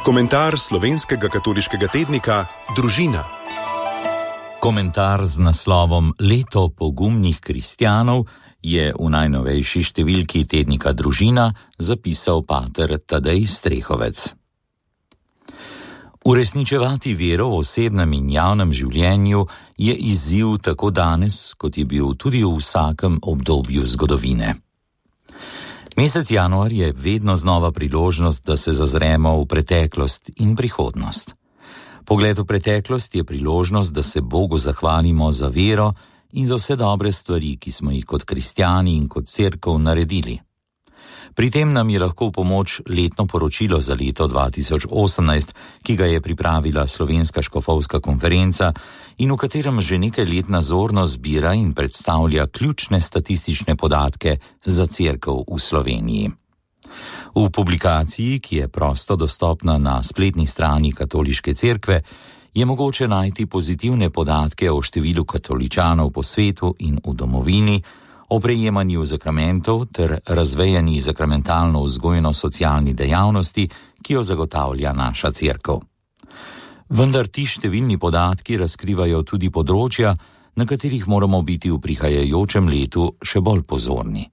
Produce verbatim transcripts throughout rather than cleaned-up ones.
Komentar slovenskega katoliškega tednika Družina. Komentar z naslovom Leto pogumnih kristjanov je v najnovejši številki tednika Družina zapisal pater Tadej Strehovec. Uresničevati vero v osebnem in javnem življenju je izziv tako danes, kot je bil tudi v vsakem obdobju zgodovine. Mesec januar je vedno znova priložnost, da se zazremo v preteklost in prihodnost. Pogled v preteklost je priložnost, da se Bogu zahvalimo za vero in za vse dobre stvari, ki smo jih kot kristjani in kot cerkev naredili. Pri tem nam je lahko v pomoč letno poročilo za leto dva tisoč osemnajst, ki ga je pripravila Slovenska škofovska konferenca in v katerem že nekaj let nazorno zbira in predstavlja ključne statistične podatke za cerkev v Sloveniji. V publikaciji, ki je prosto dostopna na spletni strani Katoliške cerkve, je mogoče najti pozitivne podatke o številu katoličanov po svetu in v domovini, o prejemanju zakramentov ter razvejani zakramentalno-vzgojno-socialni dejavnosti, ki jo zagotavlja naša cerkev. Vendar ti številni podatki razkrivajo tudi področja, na katerih moramo biti v prihajajočem letu še bolj pozorni.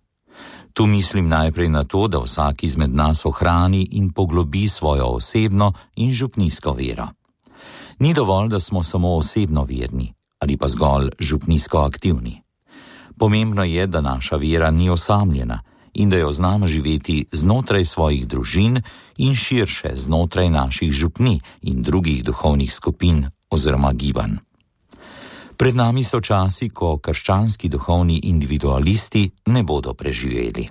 Tu mislim najprej na to, da vsak izmed nas ohrani in poglobi svojo osebno in župnijsko vero. Ni dovolj, da smo samo osebno verni ali pa zgolj župnijsko aktivni. Pomembno je, da naša vera ni osamljena in da jo znamo živeti znotraj svojih družin in širše znotraj naših župni in drugih duhovnih skupin oziroma gibanj. Pred nami so časi, ko krščanski duhovni individualisti ne bodo preživeli.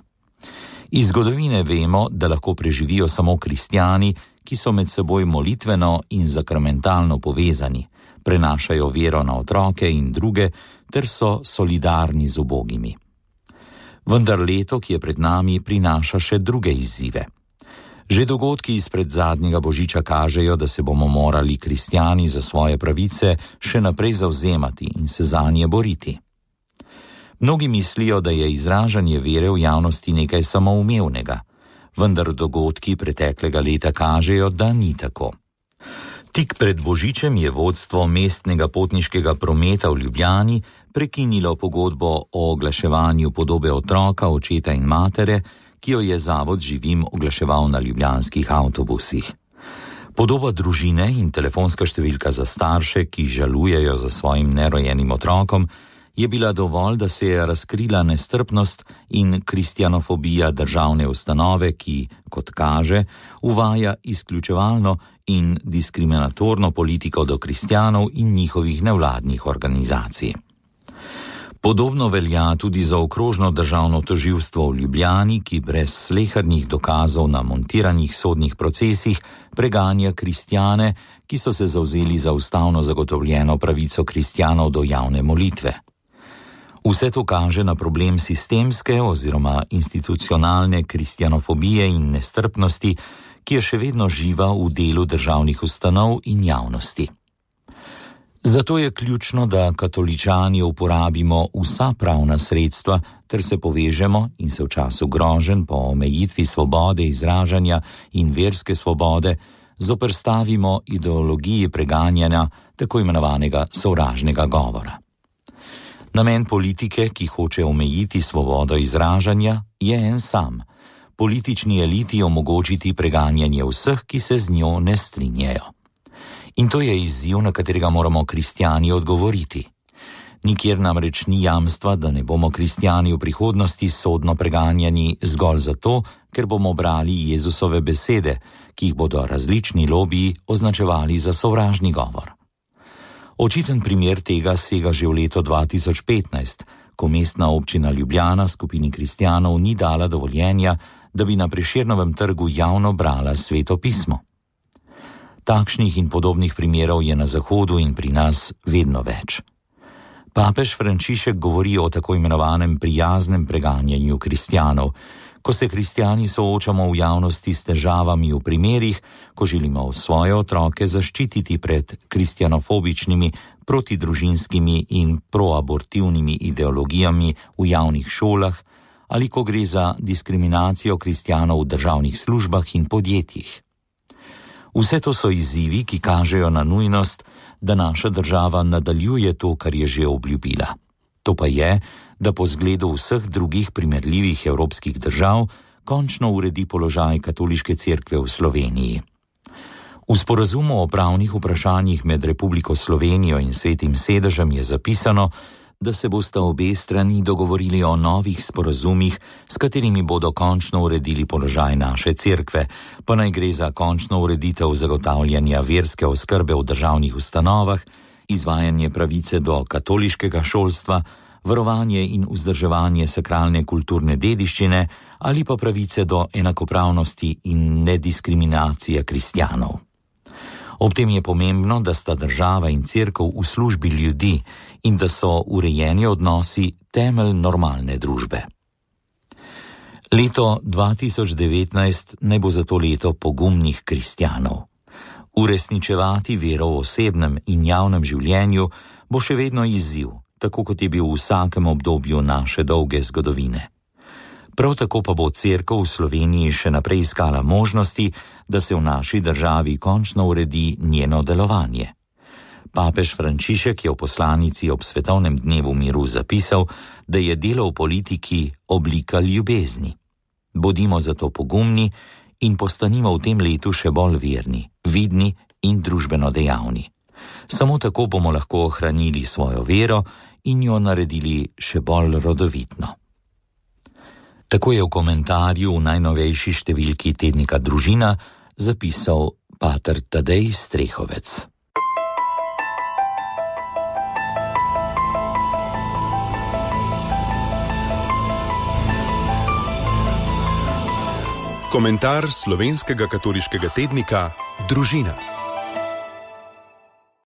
Iz zgodovine vemo, da lahko preživijo samo kristjani, ki so med seboj molitveno in zakramentalno povezani, prenašajo vero na otroke in druge, ter so solidarni z ubogimi. Vendar leto, ki je pred nami, prinaša še druge izzive. Že dogodki izpred zadnjega božiča kažejo, da se bomo morali kristjani za svoje pravice še naprej zavzemati in se zanje boriti. Mnogi mislijo, da je izražanje vere v javnosti nekaj samoumevnega, vendar dogodki preteklega leta kažejo, da ni tako. Tik pred božičem je vodstvo mestnega potniškega prometa v Ljubljani prekinilo pogodbo o oglaševanju podobe otroka, očeta in matere, ki jo je zavod Živim oglaševal na ljubljanskih avtobusih. Podoba družine in telefonska številka za starše, ki žalujejo za svojim nerojenim otrokom, je bila dovolj, da se je razkrila nestrpnost in kristjanofobija državne ustanove, ki, kot kaže, uvaja izključevalno in diskriminatorno politiko do kristjanov in njihovih nevladnih organizacij. Podobno velja tudi za okrožno državno tožilstvo v Ljubljani, ki brez slehernih dokazov na montiranih sodnih procesih preganja kristjane, ki so se zavzeli za ustavno zagotovljeno pravico kristjanov do javne molitve. Vse to kaže na problem sistemske oziroma institucionalne kristjanofobije in nestrpnosti, ki je še vedno živa v delu državnih ustanov in javnosti. Zato je ključno, da katoličani uporabimo vsa pravna sredstva ter se povežemo in se v času groženj po omejitvi svobode izražanja in verske svobode zoperstavimo ideologiji preganjanja tako imenovanega sovražnega govora. Namen politike, ki hoče omejiti svobodo izražanja, je en sam: politični eliti omogočiti preganjanje vseh, ki se z njo ne strinjajo. In to je izziv, na katerega moramo kristjani odgovoriti. Nikjer namreč ni jamstva, da ne bomo kristjani v prihodnosti sodno preganjani zgolj zato, ker bomo brali Jezusove besede, ki jih bodo različni lobiji označevali za sovražni govor. Očiten primer tega sega že v leto dva tisoč petnajst, ko mestna občina Ljubljana skupini kristjanov ni dala dovoljenja, da bi na Prešernovem trgu javno brala Sveto pismo. Takšnih in podobnih primerov je na Zahodu in pri nas vedno več. Papež Frančišek govori o tako imenovanem prijaznem preganjanju kristjanov, ko se kristjani soočamo v javnosti s težavami v primerih, ko želimo svoje otroke zaščititi pred kristjanofobičnimi, protidružinskimi in proabortivnimi ideologijami v javnih šolah ali ko gre za diskriminacijo kristjanov v državnih službah in podjetjih. Vse to so izzivi, ki kažejo na nujnost, da naša država nadaljuje to, kar je že obljubila. To pa je, da po zgledu vseh drugih primerljivih evropskih držav končno uredi položaj katoliške cerkve v Sloveniji. V sporazumu o pravnih vprašanjih med Republiko Slovenijo in Svetim sedežem je zapisano, da se bosta obe strani dogovorili o novih sporazumih, s katerimi bodo končno uredili položaj naše cerkve, pa naj gre za končno ureditev zagotavljanja verske oskrbe v državnih ustanovah, izvajanje pravice do katoliškega šolstva, varovanje in vzdrževanje sakralne kulturne dediščine ali pa pravice do enakopravnosti in nediskriminacije kristjanov. Ob tem je pomembno, da sta država in cerkev v službi ljudi in da so urejeni odnosi temelj normalne družbe. Leto dva tisoč devetnajst naj bo zato leto pogumnih kristjanov. Uresničevati vero v osebnem in javnem življenju bo še vedno izziv, tako kot je bil v vsakem obdobju naše dolge zgodovine. Prav tako pa bo cerkev v Sloveniji še naprej iskala možnosti, da se v naši državi končno uredi njeno delovanje. Papež Frančišek je v poslanici ob Svetovnem dnevu miru zapisal, da je delo v politiki oblika ljubezni. Bodimo zato pogumni in postanimo v tem letu še bolj verni, vidni in družbeno dejavni. Samo tako bomo lahko ohranili svojo vero in jo naredili še bolj rodovitno. Tako je v komentarju v najnovejši številki tednika Družina zapisal pater Tadej Strehovec. Komentar slovenskega katoliškega tednika Družina.